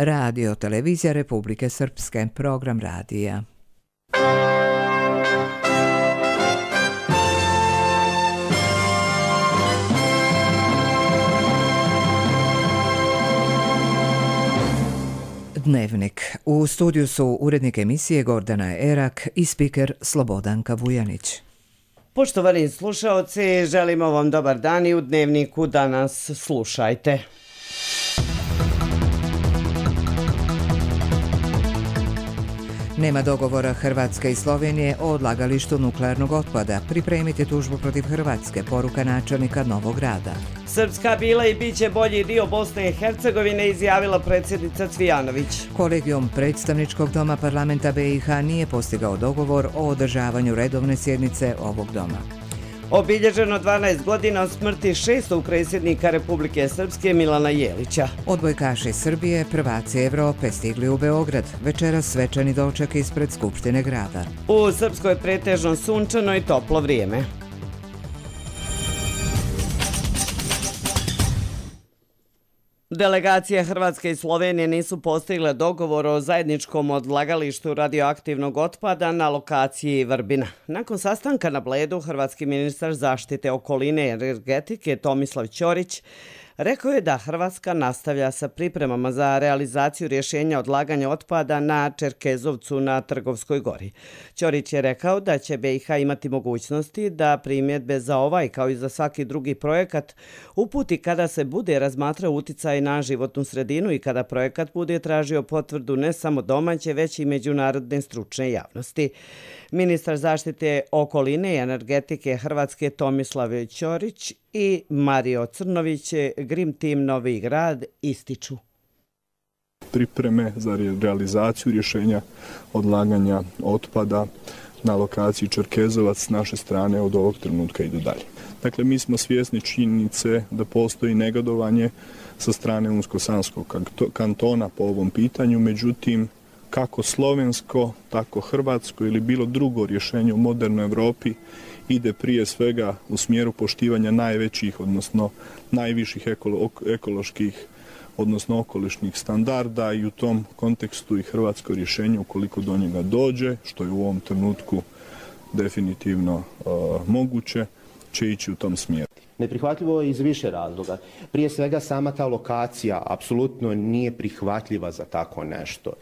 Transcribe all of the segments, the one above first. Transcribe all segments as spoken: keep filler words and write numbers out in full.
Radio Televizija Republike Srpske, program radija. Dnevnik. U studiju su urednik emisije Gordana Erak i spiker Slobodanka Vujanić. Poštovani slušaoci, želimo vam dobar dan i u Dnevniku danas slušajte. Nema dogovora Hrvatske i Slovenije o odlagalištu nuklearnog otpada. Pripremite tužbu protiv Hrvatske, poruka načelnika Novog Grada. Srpska bila i bit će bolji dio Bosne i Hercegovine, izjavila predsjednica Cvijanović. Kolegijum predstavničkog doma parlamenta B i H nije postigao dogovor o održavanju redovne sjednice ovog doma. Obilježeno dvanaest godina od smrti šestog predsjednika Republike Srpske Milana Jelića. Odbojkaši Srbije, prvaci Evrope, stigli u Beograd. Večeras svečani doček ispred Skupštine grada. U Srpskoj pretežno sunčano i toplo vrijeme. Delegacije Hrvatske i Slovenije nisu postigle dogovor o zajedničkom odlagalištu radioaktivnog otpada na lokaciji Vrbina. Nakon sastanka na Bledu, hrvatski ministar zaštite okoline i energetike Tomislav Ćorić rekao je da Hrvatska nastavlja sa pripremama za realizaciju rješenja odlaganja otpada na Čerkezovcu na Trgovskoj gori. Ćorić je rekao da će B i H imati mogućnosti da primjedbe za ovaj kao i za svaki drugi projekat uputi kada se bude razmatrao uticaj na životnu sredinu i kada projekat bude tražio potvrdu ne samo domaće, već i međunarodne stručne javnosti. Ministar zaštite okoline i energetike Hrvatske Tomislav Ćorić i Mario Crnović, Grim Team Novi Grad, ističu. Pripreme za realizaciju rješenja odlaganja otpada na lokaciji Čerkezovac s naše strane od ovog trenutka idu dalje. Dakle, mi smo svjesni činjenice da postoji negodovanje sa strane Unsko-Sanskog kantona po ovom pitanju, međutim, kako slovensko, tako hrvatsko ili bilo drugo rješenje u modernoj Europi ide prije svega u smjeru poštivanja najvećih, odnosno najviših ekolo, ekoloških, odnosno okolišnih standarda i u tom kontekstu i hrvatsko rješenje, ukoliko do njega dođe, što je u ovom trenutku definitivno uh, moguće, će ići u tom smjeru. Neprihvatljivo je iz više razloga. Prije svega sama ta lokacija apsolutno nije prihvatljiva za tako nešto.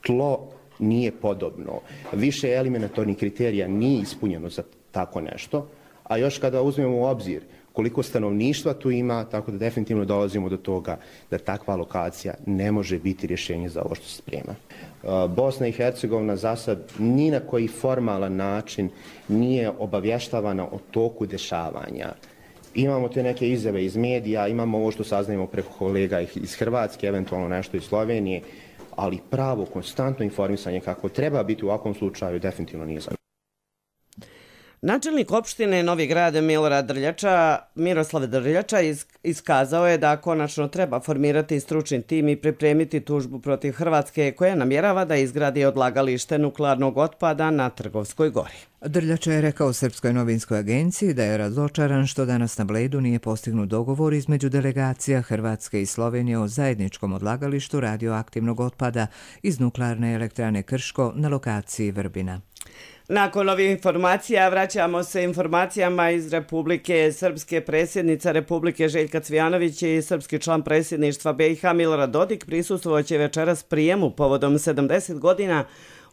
Tlo nije podobno. Više eliminatornih kriterija nije ispunjeno za tako nešto, a još kada uzmemo u obzir koliko stanovništva tu ima, tako da definitivno dolazimo do toga da takva lokacija ne može biti rješenje za ovo što se sprema. Bosna i Hercegovina za sad ni na koji formalan način nije obavještavana o toku dešavanja. Imamo te neke izjave iz medija, imamo ovo što saznajemo preko kolega iz Hrvatske, eventualno nešto iz Slovenije, ali pravo, konstantno informisanje kako treba biti u ovakvom slučaju definitivno nije za. Načelnik opštine Novi Grad Milorad Drljača, Miroslav Drljača iskazao je da konačno treba formirati stručni tim i pripremiti tužbu protiv Hrvatske koja namjerava da izgradi odlagalište nuklearnog otpada na Trgovskoj gori. Drljača je rekao Srpskoj novinskoj agenciji da je razočaran što danas na Bledu nije postignut dogovor između delegacija Hrvatske i Slovenije o zajedničkom odlagalištu radioaktivnog otpada iz nuklearne elektrane Krško na lokaciji Vrbina. Nakon ovih informacija vraćamo se informacijama iz Republike Srpske. Predsjednica Republike Željka Cvijanović i srpski član predsjedništva B i H Milorad Dodik prisustvovat će večeras prijemu povodom sedamdeset godina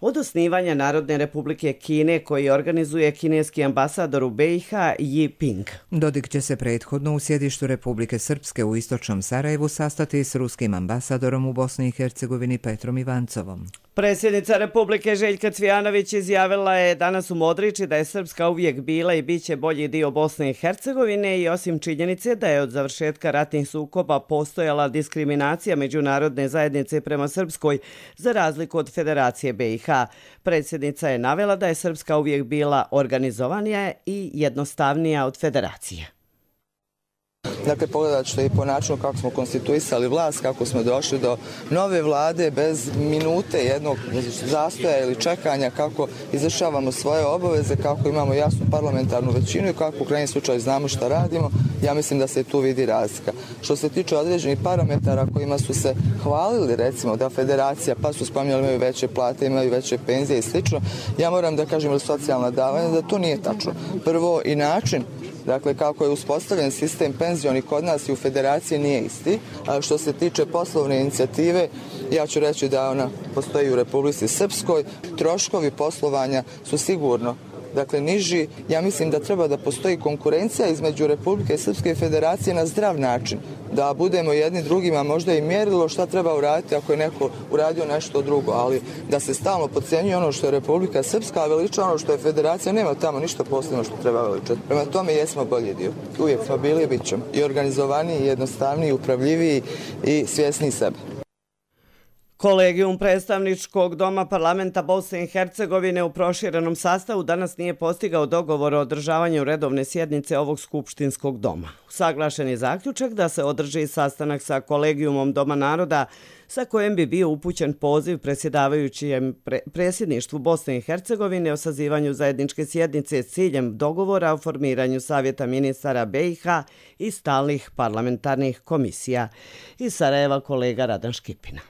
od osnivanja Narodne Republike Kine koji organizuje kineski ambasador u B i H Yi Ping. Dodik će se prethodno u sjedištu Republike Srpske u istočnom Sarajevu sastati s ruskim ambasadorom u Bosni i Hercegovini Petrom Ivancovom. Predsjednica Republike Željka Cvijanović izjavila je danas u Modriči da je Srpska uvijek bila i bit će bolji dio Bosne i Hercegovine i osim činjenice da je od završetka ratnih sukoba postojala diskriminacija međunarodne zajednice prema Srpskoj za razliku od Federacije B i H. Predsjednica je navela da je Srpska uvijek bila organizovanija i jednostavnija od Federacije. Dakle, pogledat ćete i po načinu kako smo konstituisali vlast, kako smo došli do nove vlade bez minute jednog zastoja ili čekanja, kako izvršavamo svoje obaveze, kako imamo jasnu parlamentarnu većinu i kako u krajnjem slučaju znamo šta radimo ja mislim da se tu vidi razlika. Što se tiče određenih parametara kojima su se hvalili, recimo da federacija, pa su spominjali imaju veće plate, imaju veće penzije i slično, ja moram da kažem ili socijalna davanja, da to nije tačno. Prvo i način, dakle, kako je uspostavljen sistem penzioni kod nas i u federaciji nije isti. A što se tiče poslovne inicijative, ja ću reći da ona postoji u Republici Srpskoj. Troškovi poslovanja su sigurno, dakle, niži. Ja mislim da treba da postoji konkurencija između Republike Srpske i federacije na zdrav način. Da budemo jedni drugima možda i mjerilo šta treba uraditi ako je neko uradio nešto drugo, ali da se stalno podcenjuje ono što je Republika Srpska, a veliča ono što je federacija, nema tamo ništa posebno što treba veličati. Prema tome jesmo bolji dio. Uvijek smo bili i bit ćemo. I organizovaniji, i jednostavniji, upravljiviji i svjesniji sebe. Kolegijum predstavničkog doma parlamenta Bosne i Hercegovine u proširenom sastavu danas nije postigao dogovor o održavanju redovne sjednice ovog skupštinskog doma. Usaglašen je zaključak da se održi sastanak sa kolegijumom Doma naroda sa kojem bi bio upućen poziv predsjedavajućem pre, predsjedništvu Bosne i Hercegovine o sazivanju zajedničke sjednice s ciljem dogovora o formiranju Savjeta ministara be i ha i stalnih parlamentarnih komisija. Iz Sarajeva kolega Radan Škipina.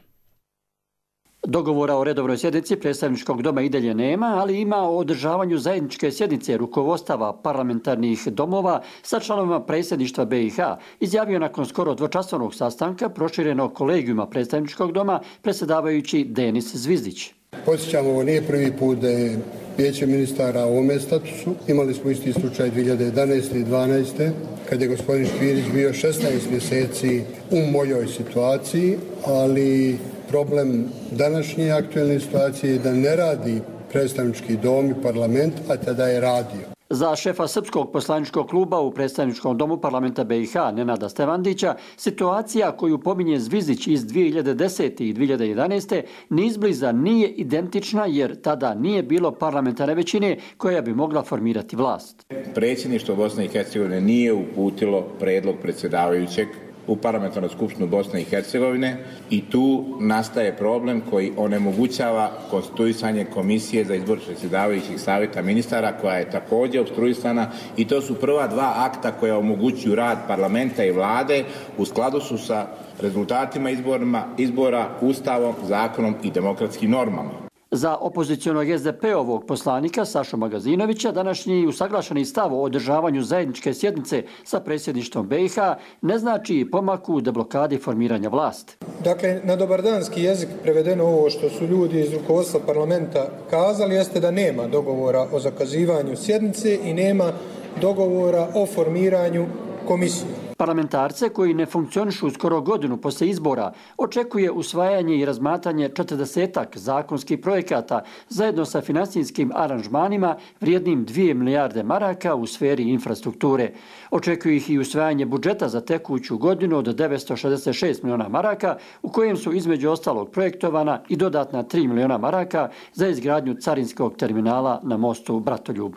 Dogovora o redovnoj sjednici predstavničkog doma i dalje nema, ali ima o održavanju zajedničke sjednice rukovodstava parlamentarnih domova sa članovima predsjedništva be i ha, izjavio nakon skoro dvočasovnog sastanka proširenog kolegijuma predstavničkog doma predsjedavajući Denis Zvizdić. Podsjećamo, ovo nije prvi put da je Vijeće ministara u ovome statusu. Imali smo isti slučaj dvije hiljade jedanaeste i dvanaeste kad je gospodin Špirić bio šesnaest mjeseci u mojoj situaciji, ali problem današnje aktualne situacije je da ne radi predstavnički dom i parlament, a tada je radio. Za šefa srpskog poslaničkog kluba u predstavničkom domu parlamenta be i ha Nenada Stevandića, situacija koju pominje Zvizdić iz dvije hiljade desete i dvije hiljade jedanaeste ni izbliza nije identična jer tada nije bilo parlamentarne većine koja bi mogla formirati vlast. Predsjedništvo Bosne i Hercegovine nije uputilo predlog predsjedavajućeg u parlamentarnu skupštinu Bosne i Hercegovine i tu nastaje problem koji onemogućava konstituisanje komisije za izbor predsjedavajućih savjeta ministara koja je također opstruisana i to su prva dva akta koja omogućuju rad parlamenta i vlade u skladu su sa rezultatima izborima, izbora, ustavom, zakonom i demokratskim normama. Za opozicionog es de pe-ovog poslanika Sašu Magazinovića današnji usaglašeni stav o održavanju zajedničke sjednice sa predsjedništvom be i ha ne znači pomak u deblokadi formiranja vlasti. Dakle, na dobardanski jezik prevedeno ovo što su ljudi iz rukovodstva parlamenta kazali jeste da nema dogovora o zakazivanju sjednice i nema dogovora o formiranju komisije. Parlamentarce koji ne funkcionišu skoro godinu poslije izbora očekuje usvajanje i razmatranje četrdesetak zakonskih projekata zajedno sa finansijskim aranžmanima vrijednim dvije milijarde maraka u sferi infrastrukture. Očekuju ih i usvajanje budžeta za tekuću godinu od devetsto šezdeset šest miliona maraka u kojem su između ostalog projektovana i dodatna tri miliona maraka za izgradnju carinskog terminala na mostu Bratoljub.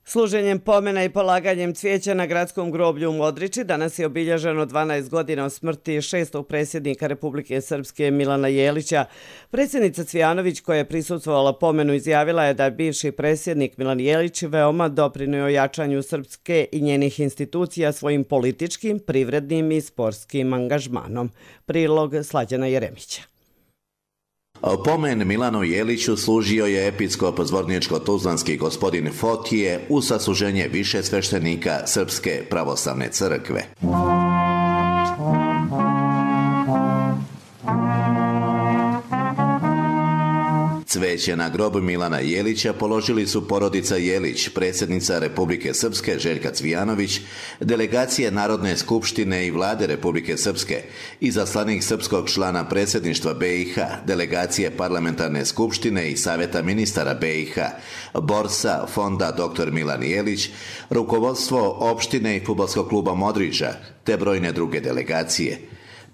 Služenjem pomena i polaganjem cvijeća na gradskom groblju u Modriči danas je obilježeno dvanaest godina od smrti šestog predsjednika Republike Srpske Milana Jelića. Predsjednica Cvijanović koja je prisustvovala pomenu izjavila je da je bivši predsjednik Milan Jelić veoma doprinio jačanju Srpske i njenih institucija svojim političkim, privrednim i sportskim angažmanom. Prilog Slađana Jeremića. Pomen Milanu Jeliću služio je episkop zvorničko-tuzlanski gospodin Fotije u sasluženje više sveštenika Srpske pravoslavne crkve. Cveće na grob Milana Jelića položili su porodica Jelić, predsjednica Republike Srpske Željka Cvijanović, delegacije Narodne skupštine i vlade Republike Srpske, izaslanik srpskog člana predsjedništva be i ha, delegacije parlamentarne skupštine i savjeta ministara be i ha, borsa fonda doktor Milan Jelić, rukovodstvo opštine i fudbalskog kluba Modriča, te brojne druge delegacije.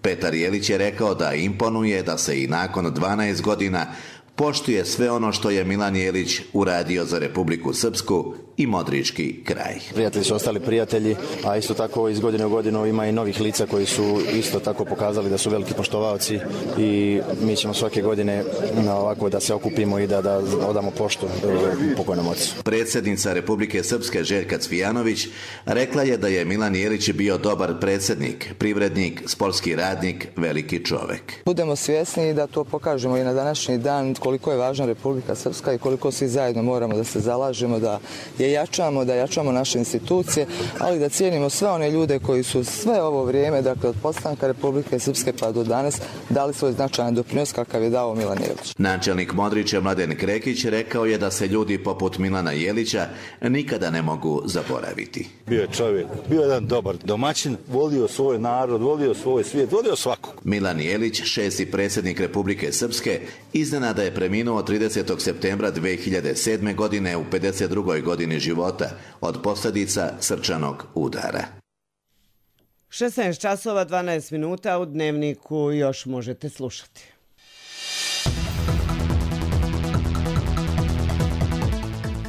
Petar Jelić je rekao da imponuje da se i nakon dvanaest godina poštuje sve ono što je Milan Jelić uradio za Republiku Srpsku i Modrički kraj. Prijatelji su ostali prijatelji, a isto tako iz godine u godinu ima i novih lica koji su isto tako pokazali da su veliki poštovaoci i mi ćemo svake godine ovako da se okupimo i da, da odamo poštu pokojnom ocu. Predsjednica Republike Srpske Željka Cvijanović rekla je da je Milan Jelić bio dobar predsjednik, privrednik, sportski radnik, veliki čovek. Budemo svjesni da to pokažemo i na današnji dan koliko je važna Republika Srpska i koliko svi zajedno moramo da se zalažemo, da je jačamo, da jačamo naše institucije, ali da cijenimo sve one ljude koji su sve ovo vrijeme, dakle od postanka Republike Srpske pa do danas, dali svoj značajan doprinos kakav je dao Milan Jelić. Načelnik Modrića Mladen Krekić rekao je da se ljudi poput Milana Jelića nikada ne mogu zaboraviti. Bio je čovjek, bio je jedan dobar domaćin, volio svoj narod, volio svoj svijet, volio svakog. Milan Jelić, šesti predsjednik Republike Srpske, iznenada je preminuo tridesetog septembra dve hiljade sedme. godine u pedeset drugoj godini života od posljedica srčanog udara. šesnaest časova dvanaest minuta u Dnevniku još možete slušati.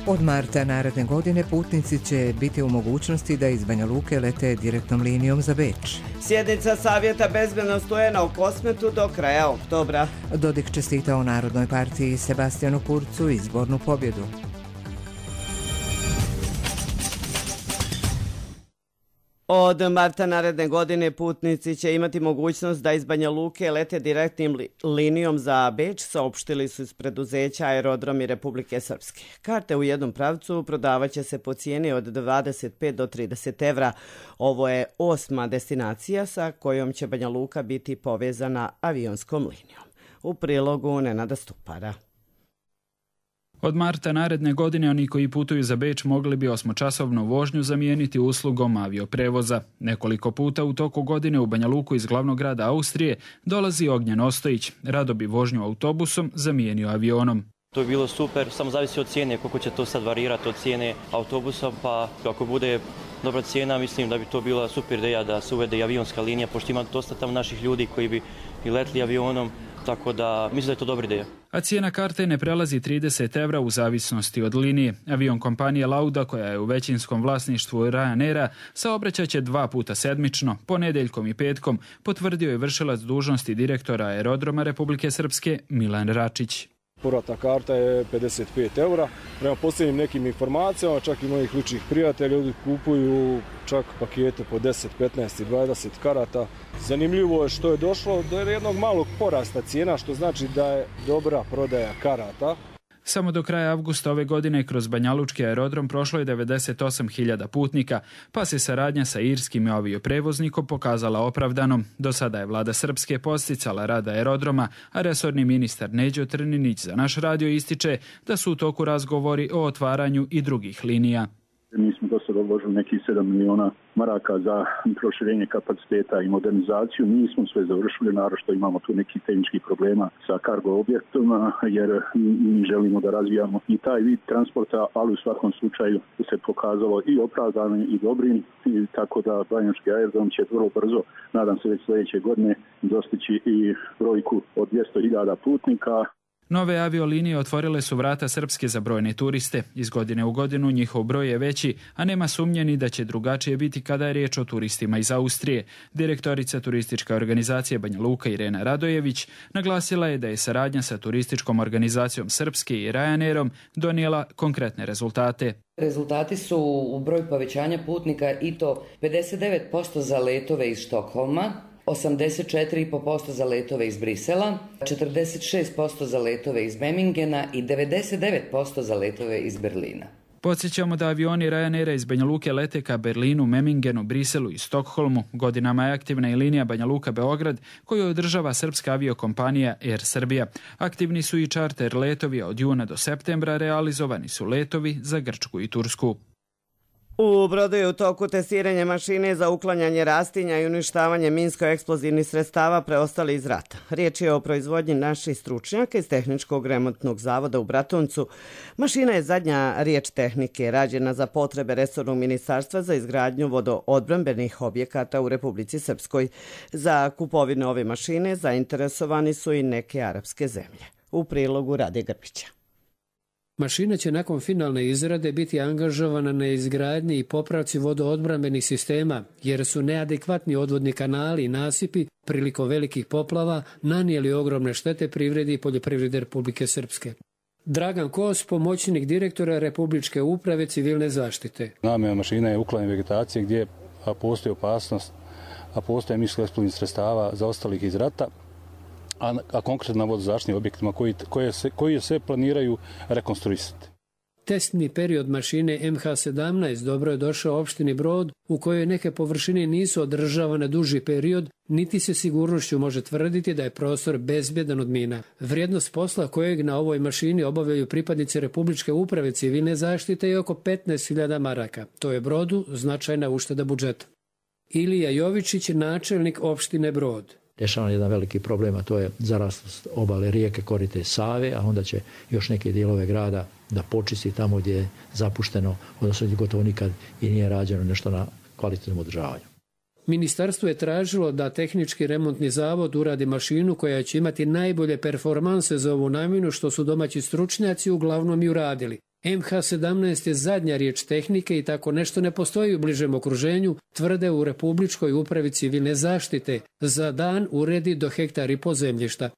Od marta naredne godine putnici će biti u mogućnosti da iz Banja Luke lete direktnom linijom za Beč. Sjednica Savjeta bezbednosti U N A u Kosmetu do kraja oktobra. Dodik čestitao Narodnoj partiji Sebastijanu Kurcu izbornu pobjedu. Od marta naredne godine putnici će imati mogućnost da iz Banja Luke lete direktnim li, linijom za Beč, saopštili su iz preduzeća Aerodromi Republike Srpske. Karte u jednom pravcu prodavaće se po cijeni od dvadeset pet do trideset evra. Ovo je osma destinacija sa kojom će Banja Luka biti povezana avionskom linijom. U prilogu Nenada Stupara. Od marta naredne godine oni koji putuju za Beč mogli bi osmočasovnu vožnju zamijeniti uslugom avioprevoza. Nekoliko puta u toku godine u Banja Luku iz glavnog grada Austrije dolazi Ognjen Ostojić. Rado bi vožnju autobusom zamijenio avionom. To je bilo super, samo zavisi od cijene, koliko će to sad varirati od cijene autobusom, pa ako bude dobra cijena, mislim da bi to bila super ideja da se uvede i avionska linija, pošto ima dosta tamo naših ljudi koji bi i letli avionom, tako da mislim da je to dobra ideja. A cijena karte ne prelazi trideset evra u zavisnosti od linije. Avion kompanije Lauda, koja je u većinskom vlasništvu Ryanaira, saobraćaće dva puta sedmično, ponedjeljkom i petkom, potvrdio je vršilac dužnosti direktora Aerodroma Republike Srpske Milan Račić. Povratna karta je pedeset pet eura. Prema posljednjim nekim informacijama, čak i mojih ličnih prijatelja, ljudi kupuju čak pakete po deset, petnaest i dvadeset karata. Zanimljivo je što je došlo do jednog malog porasta cijena, što znači da je dobra prodaja karata. Samo do kraja avgusta ove godine kroz banjalučki aerodrom prošlo je devedeset osam hiljada putnika, pa se saradnja sa irskim avioprevoznikom pokazala opravdanom. Do sada je vlada Srpske posticala rad aerodroma, a resorni ministar Neđo Trninić za naš radio ističe da su u toku razgovori o otvaranju i drugih linija. Mi smo do sada uložili nekih sedam miliona maraka za proširenje kapaciteta i modernizaciju. Nismo sve završili, naravno što imamo tu nekih tehničkih problema sa kargo objektima, jer mi želimo da razvijamo i taj vid transporta, ali u svakom slučaju se pokazalo i opravdanim i dobrim, i tako da banjalučki aerodrom će vrlo brzo, nadam se već sljedeće godine, dostići i brojku od dvjesto hiljada putnika. Nove aviolinije otvorile su vrata Srpske za brojne turiste. Iz godine u godinu njihov broj je veći, a nema sumnje ni da će drugačije biti kada je riječ o turistima iz Austrije. Direktorica turističke organizacije Banja Luka Irena Radojević naglasila je da je saradnja sa turističkom organizacijom Srpske i Ryanairom donijela konkretne rezultate. Rezultati su u broju povećanja putnika i to pedeset devet posto za letove iz Štokholma, osamdeset četiri zarez pet posto za letove iz Brisela, četrdeset šest posto za letove iz Memmingena i devedeset devet posto za letove iz Berlina. Podsjećamo da avioni Ryanaira iz Banja Luke lete ka Berlinu, Memmingenu, Briselu i Stokholmu. Godinama je aktivna i linija Banja Luka-Beograd koju održava srpska aviokompanija Air Srbija. Aktivni su i čarter letovi, od juna do septembra realizovani su letovi za Grčku i Tursku. U Brodu je u toku testiranje mašine za uklanjanje rastinja i uništavanje minsko-eksplozivnih sredstava preostali iz rata. Riječ je o proizvodnji naših stručnjaka iz Tehničkog remontnog zavoda u Bratuncu. Mašina je zadnja riječ tehnike, rađena za potrebe resornog ministarstva za izgradnju vodoodbrambenih objekata u Republici Srpskoj. Za kupovinu ove mašine zainteresovani su i neke arapske zemlje. U prilogu Rade Grbića. Mašina će nakon finalne izrade biti angažovana na izgradnji i popravci vodoodbrambenih sistema, jer su neadekvatni odvodni kanali i nasipi prilikom velikih poplava nanijeli ogromne štete privredi i poljoprivrede Republike Srpske. Dragan Kos, pomoćnik direktora Republičke uprave civilne zaštite. Namjena mašina je uklanjanje vegetacije gdje postoji opasnost, a postoje minsko-eksplozivnih sredstava zaostalih iz rata, a, a konkretno na vodozaštitnim objektima koji, koje se, koji se planiraju rekonstruisati. Testni period mašine M H sedamnaest dobro je došao opštini Brod, u kojoj neke površine nisu održavane duži period, niti se sigurnošću može tvrditi da je prostor bezbjedan od mina. Vrijednost posla kojeg na ovoj mašini obavljaju pripadnici Republičke uprave civilne zaštite je oko petnaest hiljada maraka. To je Brodu značajna ušteda budžeta. Ilija Jovičić, načelnik opštine Brod. Rješavan jedan veliki problem, a to je zaraslost obale rijeke korite Save, a onda će još neke dijelove grada da počisti tamo gdje je zapušteno, odnosno gdje gotovo nikad i nije rađeno nešto na kvalitetnom održavanju. Ministarstvo je tražilo da tehnički remontni zavod uradi mašinu koja će imati najbolje performanse za ovu namjenu, što su domaći stručnjaci uglavnom i uradili. M H sedamnaest je zadnja riječ tehnike i tako nešto ne postoji u bližem okruženju, tvrde u Republičkoj upravi civilne zaštite. Za dan uredi do hektar i po zemljišta.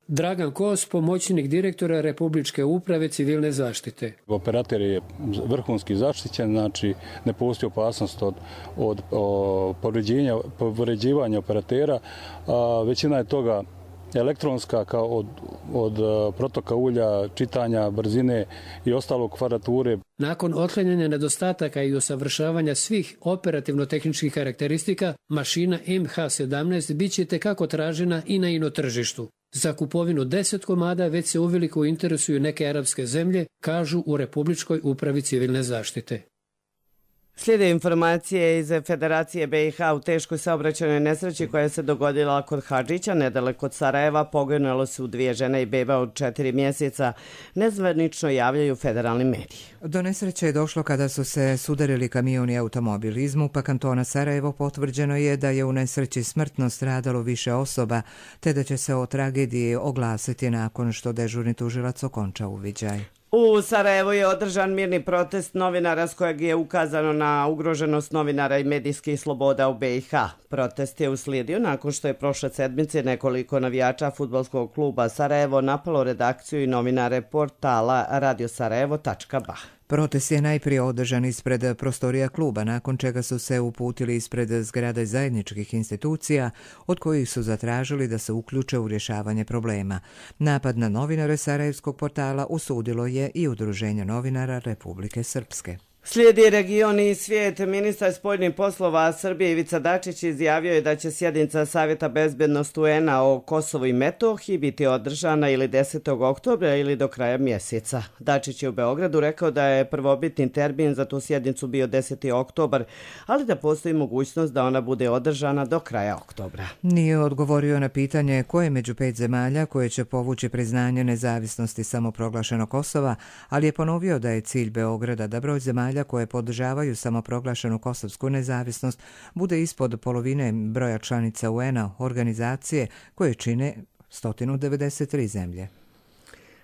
Dragan Kos, pomoćnik direktora Republičke uprave civilne zaštite. Operater je vrhunski zaštićen, znači ne postoji opasnost od, od povređivanja operatera, a većina je toga elektronska, kao od, od protoka ulja, čitanja, brzine i ostalog kvarature. Nakon otklanjanja nedostataka i usavršavanja svih operativno-tehničkih karakteristika, mašina M H sedamnaest bit će tekako tražena i na ino tržištu. Za kupovinu deset komada već se uveliko interesuju neke arapske zemlje, kažu u Republičkoj upravi civilne zaštite. Slijede informacije iz Federacije B i H u teškoj saobraćajnoj nesreći koja se dogodila kod Hadžića, nedaleko od Sarajeva. Poginulo su dvije žene i beba od četiri mjeseca. Nezvanično javljaju federalni mediji. Do nesreće je došlo kada su se sudarili kamion i automobil. Iz MUP-a kantona Sarajevo potvrđeno je da je u nesreći smrtno stradalo više osoba, te da će se o tragediji oglasiti nakon što dežurni tužilac okonča uviđaj. U Sarajevu je održan mirni protest novinara s kojeg je ukazano na ugroženost novinara i medijskih sloboda u B i H. Protest je uslijedio nakon što je prošle sedmice nekoliko navijača fudbalskog kluba Sarajevo napalo redakciju i novinare portala radio sarajevo tačka ba. Protest je najprije održan ispred prostorija kluba, nakon čega su se uputili ispred zgrade zajedničkih institucija, od kojih su zatražili da se uključe u rješavanje problema. Napad na novinare sarajevskog portala usudilo je i Udruženje novinara Republike Srpske. Slijedi region i svijet. Ministar spoljnih poslova Srbije Ivica Dačić izjavio je da će sjednica Savjeta bezbednosti U N A o Kosovu i Metohiji biti održana ili desetog oktobra ili do kraja mjeseca. Dačić je u Beogradu rekao da je prvobitni termin za tu sjednicu bio deseti oktobar, ali da postoji mogućnost da ona bude održana do kraja oktobra. Nije odgovorio na pitanje koje među pet zemalja koje će povući priznanje nezavisnosti samoproglašenog Kosova, ali je ponovio da je cilj Beograda da broj zemalja koje podržavaju samoproglašenu kosovsku nezavisnost bude ispod polovine broja članica U N A, organizacije koje čine sto devedeset tri zemlje.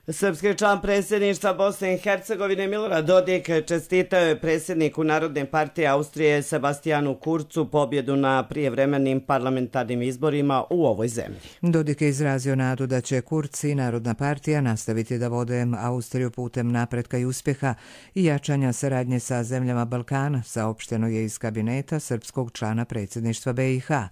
Srpski član predsjedništva Bosne i Hercegovine Milorad Dodik čestitao je predsjedniku Narodne partije Austrije Sebastijanu Kurcu pobjedu na prijevremenim parlamentarnim izborima u ovoj zemlji. Dodik je izrazio nadu da će Kurz i Narodna partija nastaviti da vode Austriju putem napretka i uspjeha i jačanja saradnje sa zemljama Balkana, saopšteno je iz kabineta srpskog člana predsjedništva B i H.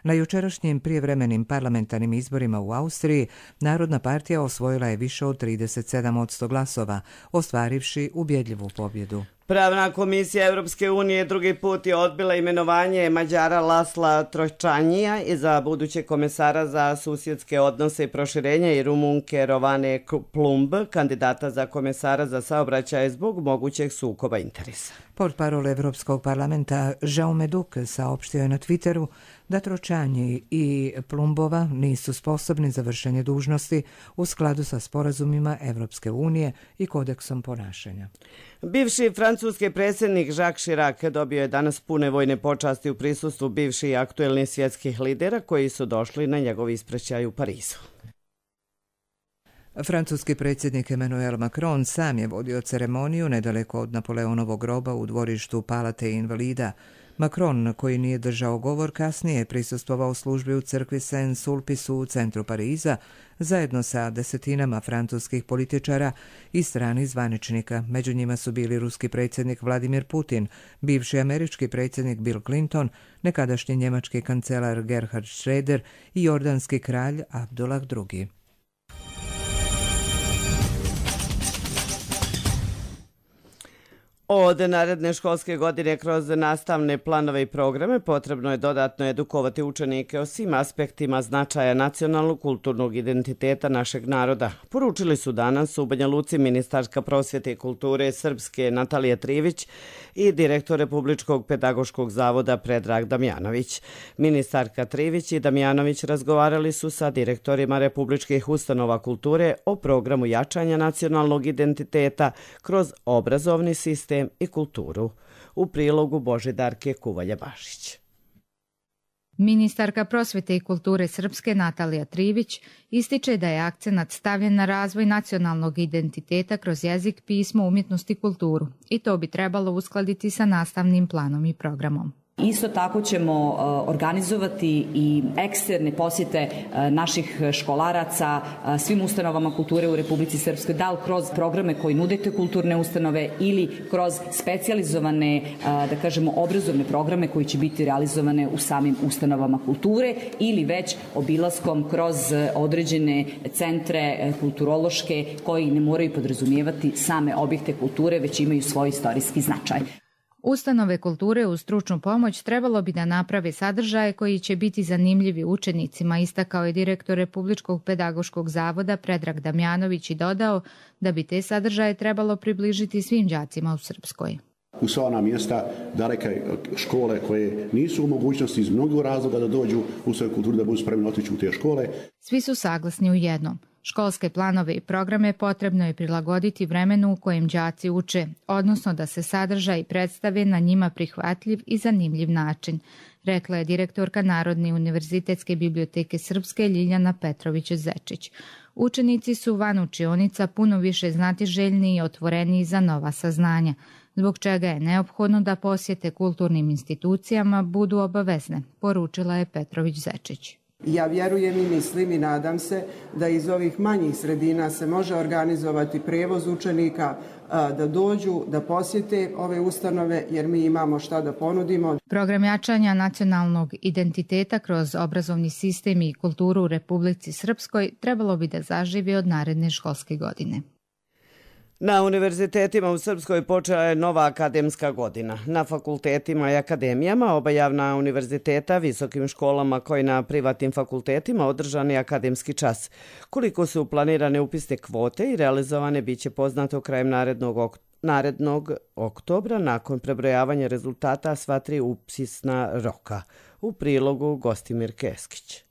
Na jučerašnjim prijevremenim parlamentarnim izborima u Austriji Narodna partija osvojila je više od trideset sedam posto glasova, ostvarivši ubjedljivu pobjedu. Pravna komisija Europske unije drugi put je odbila imenovanje Mađara Lasla Trojčanija i za budućeg komesara za susjedske odnose i proširenje i Rumunke Rovane Plumb, kandidata za komesara za saobraćaj zbog mogućeg sukoba interesa. Portparol Evropskog parlamenta Jaume Duk saopštio je na Twitteru da Tročanji i Plumbova nisu sposobni za vršenje dužnosti u skladu sa sporazumima Evropske unije i kodeksom ponašanja. Bivši francuski predsjednik Jacques Chirac dobio je danas pune vojne počasti u prisustvu bivših i aktuelnih svjetskih lidera koji su došli na njegov ispraćaj u Parizu. Francuski predsjednik Emmanuel Macron sam je vodio ceremoniju nedaleko od Napoleonovog groba u dvorištu Palate invalida. Macron, koji nije držao govor, kasnije je prisustvovao službi u crkvi Saint-Sulpice u centru Pariza, zajedno sa desetinama francuskih političara i stranih zvaničnika. Među njima su bili ruski predsjednik Vladimir Putin, bivši američki predsjednik Bill Clinton, nekadašnji njemački kancelar Gerhard Schröder i jordanski kralj Abdullah drugi. Od naredne školske godine kroz nastavne planove i programe potrebno je dodatno edukovati učenike o svim aspektima značaja nacionalnog kulturnog identiteta našeg naroda. Poručili su danas u Banja Luci ministarka prosvjete i kulture Srpske Natalija Trivić i direktor Republičkog pedagoškog zavoda Predrag Damjanović. Ministarka Trivić i Damjanović razgovarali su sa direktorima republičkih ustanova kulture o programu jačanja nacionalnog identiteta kroz obrazovni sistem i kulturu. U prilogu Božidarke Kuvalja-Bašić. Ministarka prosvjete i kulture Srpske Natalija Trivić ističe da je akcenat stavljen na razvoj nacionalnog identiteta kroz jezik, pismo, umjetnost i kulturu i to bi trebalo uskladiti sa nastavnim planom i programom. Isto tako ćemo organizovati i eksterne posjete naših školaraca svim ustanovama kulture u Republici Srpskoj, da li kroz programe koji nudete kulturne ustanove ili kroz specijalizovane, da kažemo, obrazovne programe koji će biti realizovane u samim ustanovama kulture ili već obilaskom kroz određene centre kulturološke koji ne moraju podrazumijevati same objekte kulture, već imaju svoj istorijski značaj. Ustanove kulture uz stručnu pomoć trebalo bi da naprave sadržaje koji će biti zanimljivi učenicima, istakao je direktor Republičkog pedagoškog zavoda Predrag Damjanović i dodao da bi te sadržaje trebalo približiti svim đacima u Srpskoj. U sva ona mjesta daleke škole koje nisu u mogućnosti iz mnogih razloga da dođu u svoju kulturu, da budu spremni otići u te škole. Svi su saglasni u jednom. Školske planove i programe potrebno je prilagoditi vremenu u kojem đaci uče, odnosno da se sadržaj predstave na njima prihvatljiv i zanimljiv način, rekla je direktorka Narodne univerzitetske biblioteke Srpske Ljiljana Petrović-Zečić. Učenici su van učionica puno više znatiželjni i otvoreniji za nova saznanja, zbog čega je neophodno da posjete kulturnim institucijama budu obavezne, poručila je Petrović-Zečić. Ja vjerujem i mislim i nadam se da iz ovih manjih sredina se može organizovati prevoz učenika da dođu, da posjete ove ustanove jer mi imamo šta da ponudimo. Program jačanja nacionalnog identiteta kroz obrazovni sistem i kulturu u Republici Srpskoj trebalo bi da zaživi od naredne školske godine. Na univerzitetima u Srpskoj počela je nova akademska godina. Na fakultetima i akademijama, oba javna univerziteta, visokim školama koji na privatnim fakultetima održan je akademski čas. Koliko su planirane upisne kvote i realizovane biće poznato krajem narednog oktobra. narednog oktobra nakon prebrojavanja rezultata sva tri upisna roka. U prilogu Gostimir Keskić.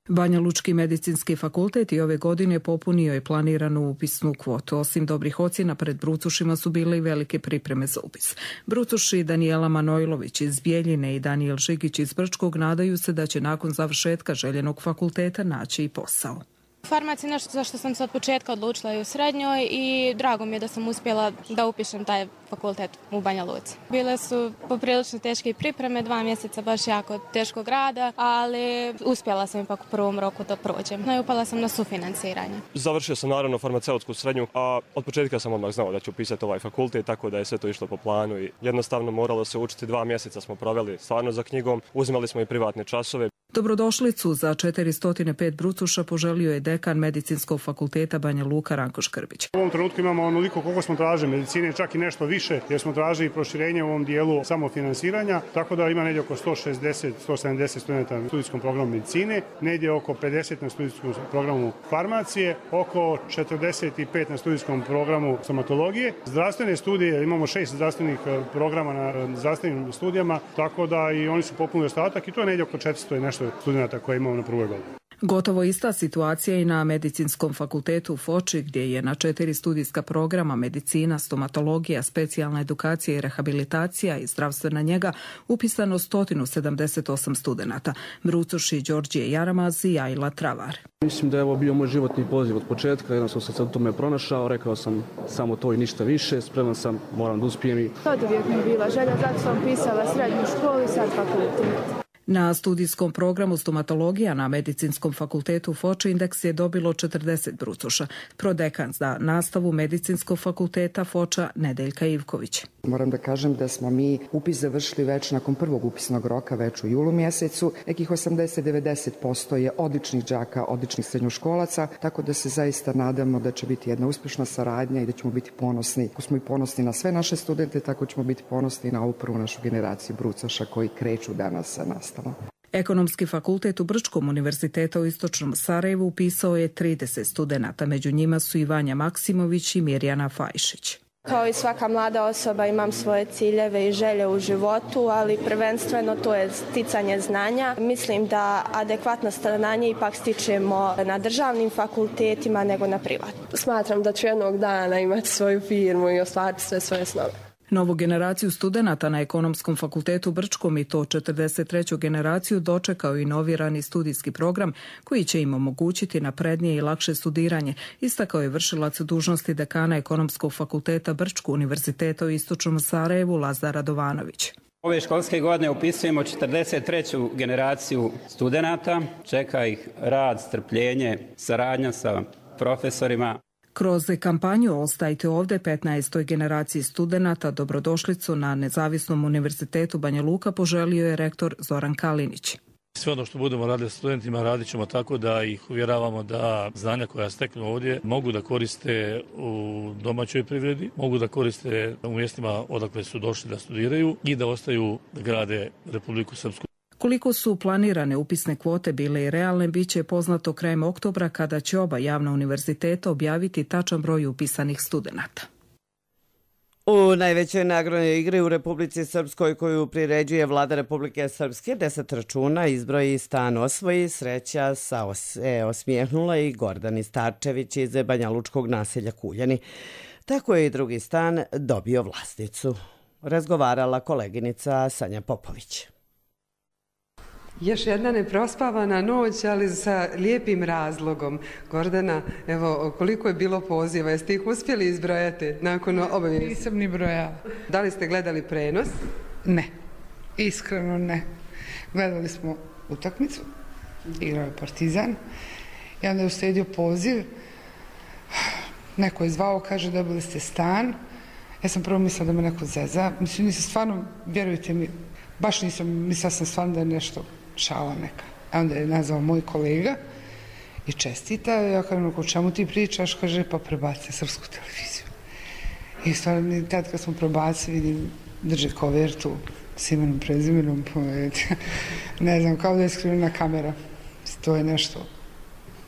Banja Lučki medicinski fakultet i ove godine popunio je planiranu upisnu kvotu. Osim dobrih ocjena pred brucušima su bile i velike pripreme za upis. Brucuši Danijela Manojlović iz Bijeljine i Danijel Žigić iz Brčkog nadaju se da će nakon završetka željenog fakulteta naći i posao. Farmacija je nešto za što sam se od početka odlučila i u srednjoj i drago mi je da sam uspjela da upišem taj fakultet u Banja Luci. Bile su poprilično teške pripreme, dva mjeseca baš jako teškog rada, ali uspjela sam ipak u prvom roku da prođem. No i upala sam na sufinanciranje. Završio sam naravno farmaceutsku srednju, a od početka sam odmah znao da ću upisati ovaj fakultet, tako da je sve to išlo po planu i jednostavno moralo se učiti. Dva mjeseca smo proveli stvarno za knjigom, uzimali smo i privatne časove. Dobrodošlicu za četiristo pet brucuša poželio je dekan Medicinskog fakulteta Banja Luka Ranko Škrbić. U ovom trenutku imamo onoliko koliko smo tražili medicine, čak i nešto više, jer smo tražili proširenje u ovom dijelu samofinansiranja, tako da ima negdje oko sto šezdeset do sto sedamdeset studenta na studijskom programu medicine, negdje oko pedeset na studijskom programu farmacije, oko četrdeset pet na studijskom programu stomatologije. Zdravstvene studije, imamo šest zdravstvenih programa na zdravstvenim studijama, tako da i oni su popunili ostatak i to je negdje oko četiristo i nešto studenta koje imamo na prvoj godini. Gotovo ista situacija i na Medicinskom fakultetu u Foči, gdje je na četiri studijska programa medicina, stomatologija, specijalna edukacija i rehabilitacija i zdravstvena njega upisano sto sedamdeset osam studenata. Brucoši Đorđije Jaramaz i Ajla Travar. Mislim da je ovo bio moj životni poziv od početka, jednostavno sam se u tome pronašao, rekao sam samo to i ništa više, spreman sam, moram da uspijem i... Od uvijek mi je bila želja, zato sam pisala srednju školu i sad fakultet. Na studijskom programu stomatologija na Medicinskom fakultetu Foči indeks je dobilo četrdeset brucoša. Prodekan za nastavu Medicinskog fakulteta Foča Nedeljka Ivković. Moram da kažem da smo mi upis završili već nakon prvog upisnog roka, već u julu mjesecu. Nekih osamdeset do devedeset posto je odličnih đaka, odličnih srednjoškolaca, tako da se zaista nadamo da će biti jedna uspješna saradnja i da ćemo biti ponosni. Ako smo i ponosni na sve naše studente, tako ćemo biti ponosni na ovu prvu našu generaciju brucoša koji kreću danas sa nastavom. Ekonomski fakultet u Brčkom univerziteta u Istočnom Sarajevu upisao je trideset studenata, među njima su i Vanja Maksimović i Mirjana Fajšić. Kao i svaka mlada osoba imam svoje ciljeve i želje u životu, ali prvenstveno to je sticanje znanja. Mislim da adekvatno znanje ipak stičemo na državnim fakultetima nego na privatnim. Smatram da ću jednog dana imati svoju firmu i ostvariti sve svoje snove. Novu generaciju studenata na Ekonomskom fakultetu Brčkom i to četrdeset treću generaciju dočekao i novirani studijski program koji će im omogućiti naprednije i lakše studiranje, istakao je vršilac dužnosti dekana Ekonomskog fakulteta Brčkog univerziteta u Istočnom Sarajevu Lazar Radovanović. Ove školske godine upisujemo četrdeset treću generaciju studenata, čeka ih rad, strpljenje, saradnja sa profesorima. Kroz kampanju Ostajte ovdje petnaestoj generaciji studenata dobrodošlicu na Nezavisnom univerzitetu Banja Luka poželio je rektor Zoran Kalinić. Sve ono što budemo radili s studentima radit ćemo tako da ih uvjeravamo da znanja koja steknu ovdje mogu da koriste u domaćoj privredi, mogu da koriste u mjestima odakle su došli da studiraju i da ostaju da grade Republiku Srpsku. Koliko su planirane upisne kvote bile i realne, bit će poznato krajem oktobra kada će oba javna univerziteta objaviti tačan broj upisanih studenata. U najvećoj nagradnoj igri u Republici Srpskoj koju priređuje Vlada Republike Srpske, deset računa izbroji stan osvoji, sreća sa os, e, osmijehnula i Gordani Starčević iz Banja Lučkog naselja Kuljani. Tako je i drugi stan dobio vlasnicu. Razgovarala koleginica Sanja Popović. Još jedna neprospavana noć, ali sa lijepim razlogom. Gordana, evo, koliko je bilo poziva? Jeste ih uspjeli izbrojati nakon obavijesti? Nisam ni brojala. Da li ste gledali prenos? Ne, iskreno ne. Gledali smo utakmicu, igrao je Partizan i onda je uslijedio poziv. Neko je zvao, kaže dobili ste stan. Ja sam prvo mislila da me neko zeza. Mislim, nisam stvarno, vjerujte mi, baš nisam, mislila sam stvarno da je nešto šala neka. A onda je nazvao moj kolega i čestita. Ja kažem, o čemu ti pričaš? Kaže, pa prebaci Srpsku televiziju. I stvarno, tad kad smo prebaci, vidim, drži kovertu s imenom, prezimenom, ne znam, kao da je skrivena kamera. To je nešto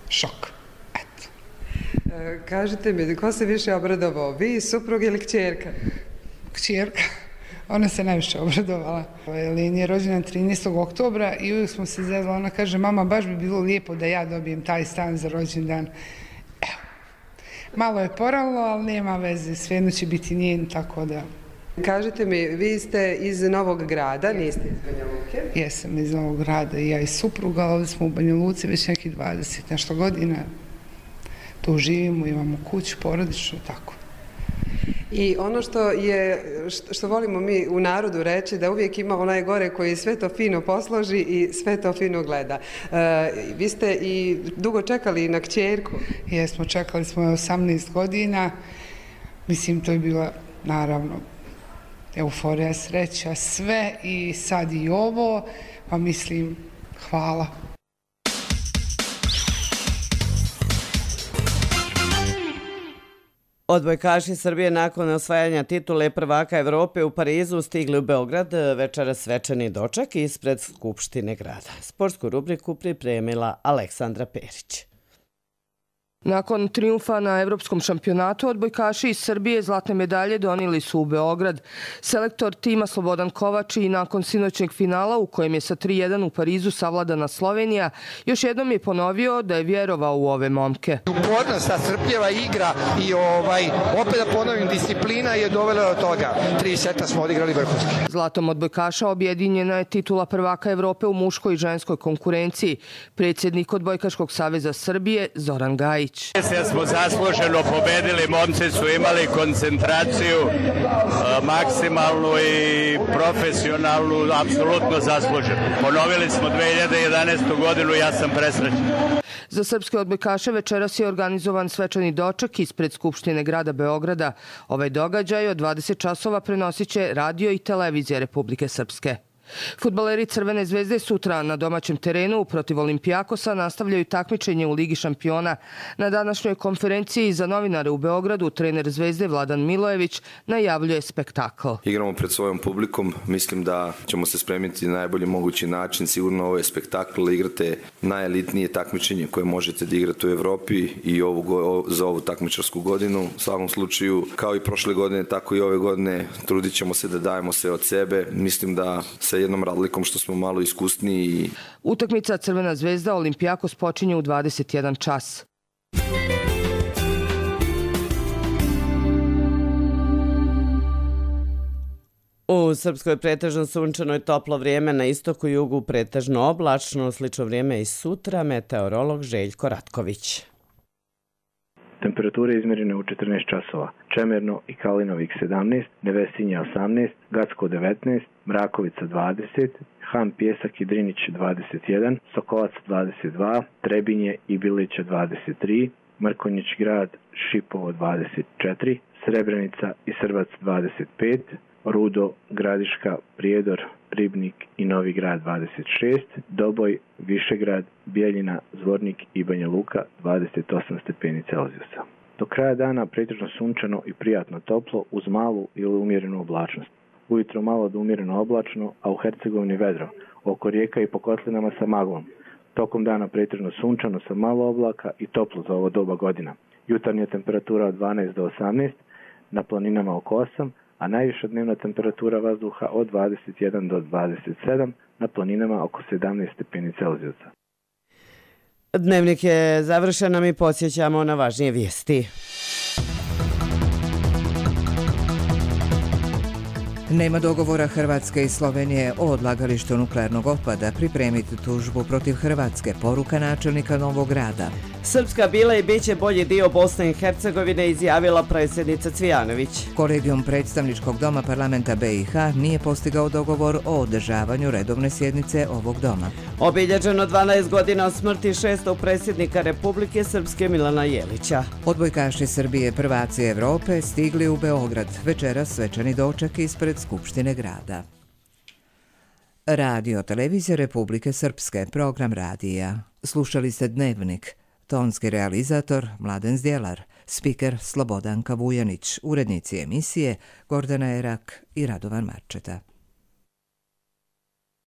šok. Eto. E, kažite mi, ko se više obradovao? Vi, suprug ili kćerka? Kćerka. Ona se najviše obradovala. Leni je rođena trinaestog oktobra i uvijek smo se zezla. Ona kaže, mama, baš bi bilo lijepo da ja dobijem taj stan za rođendan. Evo, malo je poralo, ali nema veze. Svejedno će biti njen, tako da... Kažite mi, vi ste iz Novog Grada, niste iz Banja Luke? Jesam iz Novog Grada i ja i supruga, ali ovdje smo u Banja Luci već nekih dvadeset nešto godina. Tu živimo, imamo kuću, porodičnu, tako. I ono što je, što volimo mi u narodu reći, da uvijek ima onaj gore koji sve to fino posloži i sve to fino gleda. E, vi ste i dugo čekali na kćerku? Jesmo, čekali smo je osamnaest godina. Mislim, to je bila, naravno, euforija, sreća, sve i sad i ovo, pa mislim, hvala. Odbojkaši Srbije nakon osvajanja titule prvaka Evrope u Parizu stigli u Beograd večeras svečani doček ispred Skupštine grada. Sportsku rubriku pripremila Aleksandra Perić. Nakon trijumfa na evropskom šampionatu, odbojkaši iz Srbije zlatne medalje donijeli su u Beograd. Selektor tima Slobodan Kovač i nakon sinoćnjeg finala u kojem je sa tri jedan u Parizu savladana Slovenija, još jednom je ponovio da je vjerovao u ove momke. Upornost, ta strpljava igra i ovaj, opet da ponovim, disciplina je dovela do toga. Tri seta smo odigrali vrhunski. Zlatom odbojkaša objedinjena je titula prvaka Evrope u muškoj i ženskoj konkurenciji. Predsjednik Odbojkaškog saveza Srbije Zoran Gajić. Sve smo zasluženo pobedili, momci su imali koncentraciju maksimalnu i profesionalnu, apsolutno zasluženo. Ponovili smo dve hiljade jedanaestu godinu i ja sam presrećen. Za srpske odbojkaše večeras je organizovan svečani doček ispred Skupštine grada Beograda. Ovaj događaj od dvadeset časova prenosit će radio i televizija Republike Srpske. Fudbaleri Crvene zvezde sutra na domaćem terenu protiv Olimpijakosa nastavljaju takmičenje u Ligi šampiona. Na današnjoj konferenciji za novinare u Beogradu trener Zvezde Vladan Milojević najavljuje spektakl. Igramo pred svojom publikom, mislim da ćemo se spremiti na najbolji mogući način. Sigurno ovo je spektakl da igrate najelitnije takmičenje koje možete da igrate u Evropi i ovu, za ovu takmičarsku godinu. U svakom slučaju, kao i prošle godine, tako i ove godine, trudit ćemo se da dajemo sve od sebe. Mislim da se jednom razlikom što smo malo iskusniji. Utakmica Crvena zvezda Olimpijakos počinje u dvadeset jedan čas. U Srpskoj pretežno sunčano i toplo vrijeme, na istoku i jugu pretežno oblačno, slično vrijeme i sutra, meteorolog Željko Ratković. Temperature izmjerene u četrnaest časova. Čemerno i Kalinovik sedamnaest, Nevesinje osamnaest, Gacko devetnaest, Mrakovica dvadeset, Han Pjesak i Drinić dvadeset jedan, Sokolac dvadeset dva, Trebinje i Bilića dvadeset tri, Mrkonjić grad, Šipovo dvadeset četiri, Srebrenica i Srbac dvadeset pet, Rudo, Gradiška, Prijedor, Ribnik i Novi grad dvadeset šest, Doboj, Višegrad, Bijeljina, Zvornik i Banja Luka dvadeset osam stepeni Celzijusa. Do kraja dana pretežno sunčano i prijatno toplo uz malu ili umjerenu oblačnost. Ujutro malo do umjereno oblačno, a u Hercegovini vedro, oko rijeka i po kotlinama sa maglom. Tokom dana pretežno sunčano sa malo oblaka i toplo za ovo doba godina. Jutarnja temperatura od dvanaest do osamnaest, na planinama oko osam, a najviša dnevna temperatura vazduha od dvadeset jedan do dvadeset sedam, na planinama oko sedamnaest stepeni Celzijusa. Dnevnik je završen, a mi podsjećamo na važnije vijesti. Nema dogovora Hrvatske i Slovenije o odlagalištu nuklearnog otpada. Pripremiti tužbu protiv Hrvatske, poruka načelnika Novog Grada. Srpska bila i bit će bolji dio Bosne i Hercegovine, izjavila predsjednica Cvijanović. Kolegijum predstavničkog doma parlamenta B i H nije postigao dogovor o održavanju redovne sjednice ovog doma. Obilježeno dvanaest godina od smrti šestog predsjednika Republike Srpske Milana Jelića. Odbojkaši Srbije, prvaci Evrope, stigli u Beograd. Večeras svečani doček ispred Skupštine grada. Radio televizija Republike Srpske, program radija. Slušali ste Dnevnik. Tonski realizator Mladen Zdjelar, spiker Slobodanka Vujanić, urednici emisije Gordana Erak i Radovan Marčeta.